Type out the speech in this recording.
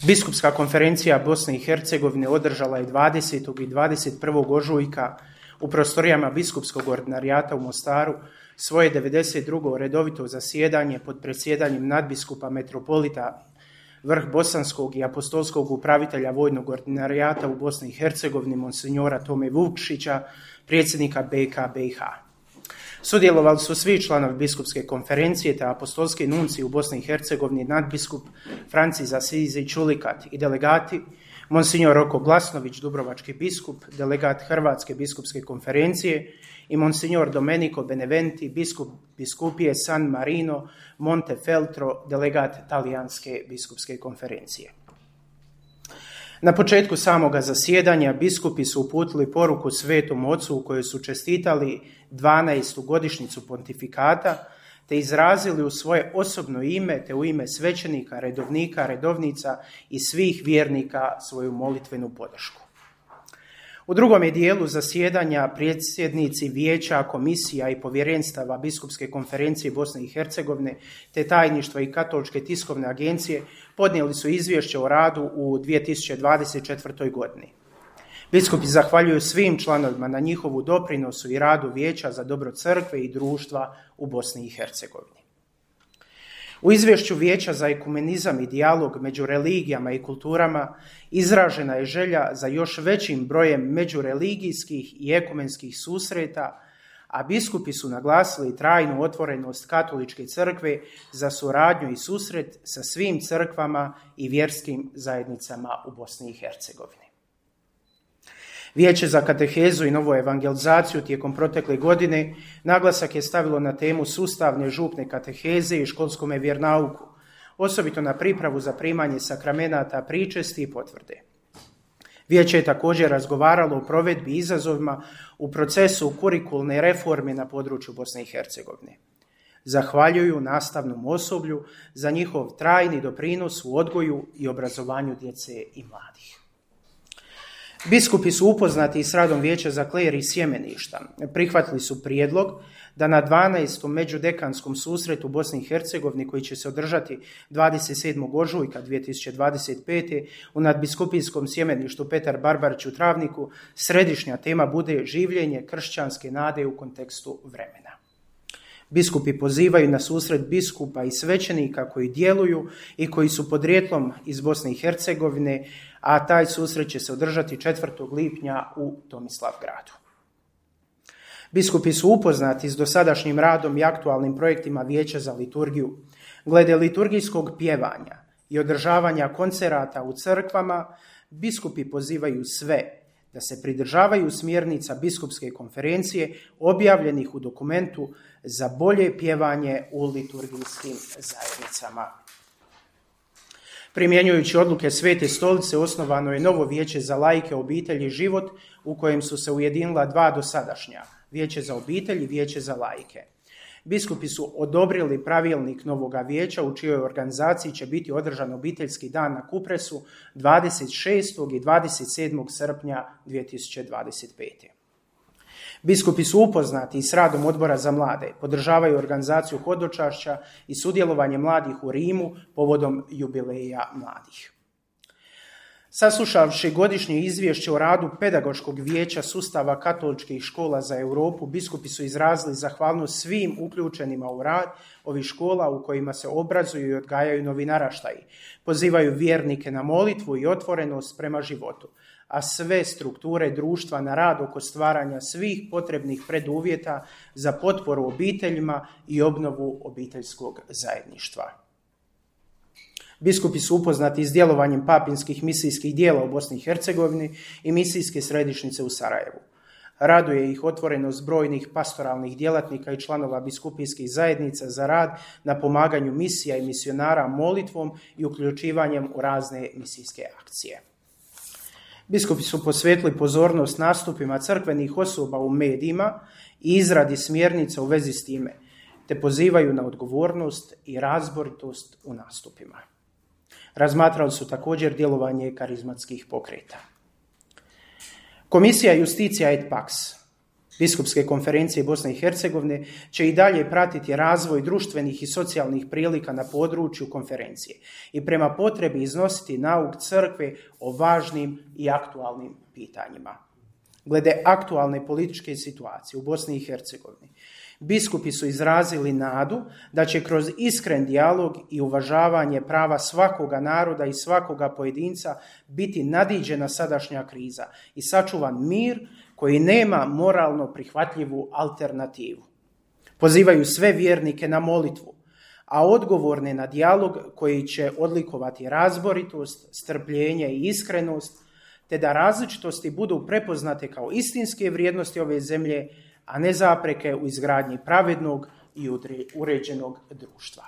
Biskupska konferencija Bosne i Hercegovine održala je 20. i 21. ožujka u prostorijama Biskupskog ordinarijata u Mostaru svoje 92. redovito zasjedanje pod predsjedanjem nadbiskupa metropolita Vrh Bosanskog i apostolskog upravitelja vojnog ordinarijata u Bosni i Hercegovini monsinjora Tome Vukšića, predsjednika BK BiH. Sudjelovali su svi članovi biskupske konferencije te apostolski nunci u Bosni i Hercegovini, nadbiskup Francis Asizi Čulikat i delegati monsinjor Roko Glasnović, dubrovački biskup, delegat Hrvatske biskupske konferencije i monsinjor Domenico Beneventi, biskup biskupije San Marino Montefeltro, delegat Talijanske biskupske konferencije. Na početku samoga zasjedanja biskupi su uputili poruku Svetom Ocu u kojoj su čestitali 12. godišnjicu pontifikata te izrazili u svoje osobno ime te u ime svećenika, redovnika, redovnica i svih vjernika svoju molitvenu podršku. U drugom je dijelu zasjedanja predsjednici vijeća, komisija i povjerenstava Biskupske konferencije Bosne i Hercegovine te tajništva i Katoličke tiskovne agencije podnijeli su izvješće o radu u 2024. godini. Biskupi zahvaljuju svim članovima na njihovu doprinosu i radu vijeća za dobro crkve i društva u Bosni i Hercegovini. U izvješću Vijeća za ekumenizam i dijalog među religijama i kulturama izražena je želja za još većim brojem međureligijskih i ekumenskih susreta, a biskupi su naglasili trajnu otvorenost Katoličke crkve za suradnju i susret sa svim crkvama i vjerskim zajednicama u Bosni i Hercegovini. Vijeće za katehezu i novu evangelizaciju tijekom protekle godine naglasak je stavilo na temu sustavne župne kateheze i školskome vjernauku, osobito na pripravu za primanje sakramenata, pričesti i potvrde. Vijeće je također razgovaralo o provedbi i izazovima u procesu kurikulne reforme na području Bosne i Hercegovine. Zahvaljuju nastavnom osoblju za njihov trajni doprinos u odgoju i obrazovanju djece i mladih. Biskupi su upoznati s radom Vijeća za kler i sjemeništa. Prihvatili su prijedlog da na 12. međudekanskom susretu u Bosni i Hercegovini, koji će se održati 27. ožujka 2025. u nadbiskupijskom sjemeništu Petar Barbarić u Travniku, središnja tema bude življenje kršćanske nade u kontekstu vremena. Biskupi pozivaju na susret biskupa i svećenika koji djeluju i koji su podrijetlom iz Bosne i Hercegovine, a taj susret će se održati 4. lipnja u Tomislavgradu. Biskupi su upoznati s dosadašnjim radom i aktualnim projektima Vijeća za liturgiju. Glede liturgijskog pjevanja i održavanja koncerata u crkvama, biskupi pozivaju sve da se pridržavaju smjernica biskupske konferencije objavljenih u dokumentu za bolje pjevanje u liturgijskim zajednicama. Primjenjujući odluke Svete stolice, osnovano je novo vijeće za laike, obitelj i život u kojem su se ujedinila dva dosadašnja, vijeće za obitelj i vijeće za laike. Biskupi su odobrili pravilnik novoga vijeća u čijoj organizaciji će biti održan obiteljski dan na Kupresu 26. i 27. srpnja 2025. Biskupi su upoznati s radom Odbora za mlade, podržavaju organizaciju hodočašća i sudjelovanje mladih u Rimu povodom jubileja mladih. Saslušavši godišnje izvješće o radu Pedagoškog vijeća sustava katoličkih škola za Europu, biskupi su izrazili zahvalnost svim uključenima u rad ovih škola u kojima se obrazuju i odgajaju novi naraštaji. Pozivaju vjernike na molitvu i otvorenost prema životu, a sve strukture društva na rad oko stvaranja svih potrebnih preduvjeta za potporu obiteljima i obnovu obiteljskog zajedništva. Biskupi su upoznati s djelovanjem papinskih misijskih dijela u Bosni i Hercegovini i misijske središnjice u Sarajevu. Raduje ih otvorenost brojnih pastoralnih djelatnika i članova biskupijskih zajednica za rad na pomaganju misija i misionara molitvom i uključivanjem u razne misijske akcije. Biskupi su posvetili pozornost nastupima crkvenih osoba u medijima i izradi smjernica u vezi s time, te pozivaju na odgovornost i razboritost u nastupima. Razmatrali su također djelovanje karizmatskih pokreta. Komisija Justitia et Pax Biskupske konferencije Bosne i Hercegovine će i dalje pratiti razvoj društvenih i socijalnih prilika na području konferencije i prema potrebi iznositi nauk crkve o važnim i aktualnim pitanjima. Glede aktualne političke situacije u Bosni i Hercegovini, biskupi su izrazili nadu da će kroz iskren dijalog i uvažavanje prava svakoga naroda i svakoga pojedinca biti nadiđena sadašnja kriza i sačuvan mir koji nema moralno prihvatljivu alternativu. Pozivaju sve vjernike na molitvu, a odgovorne na dijalog koji će odlikovati razboritost, strpljenje i iskrenost, te da različitosti budu prepoznate kao istinske vrijednosti ove zemlje, a ne zapreke u izgradnji pravednog i uređenog društva.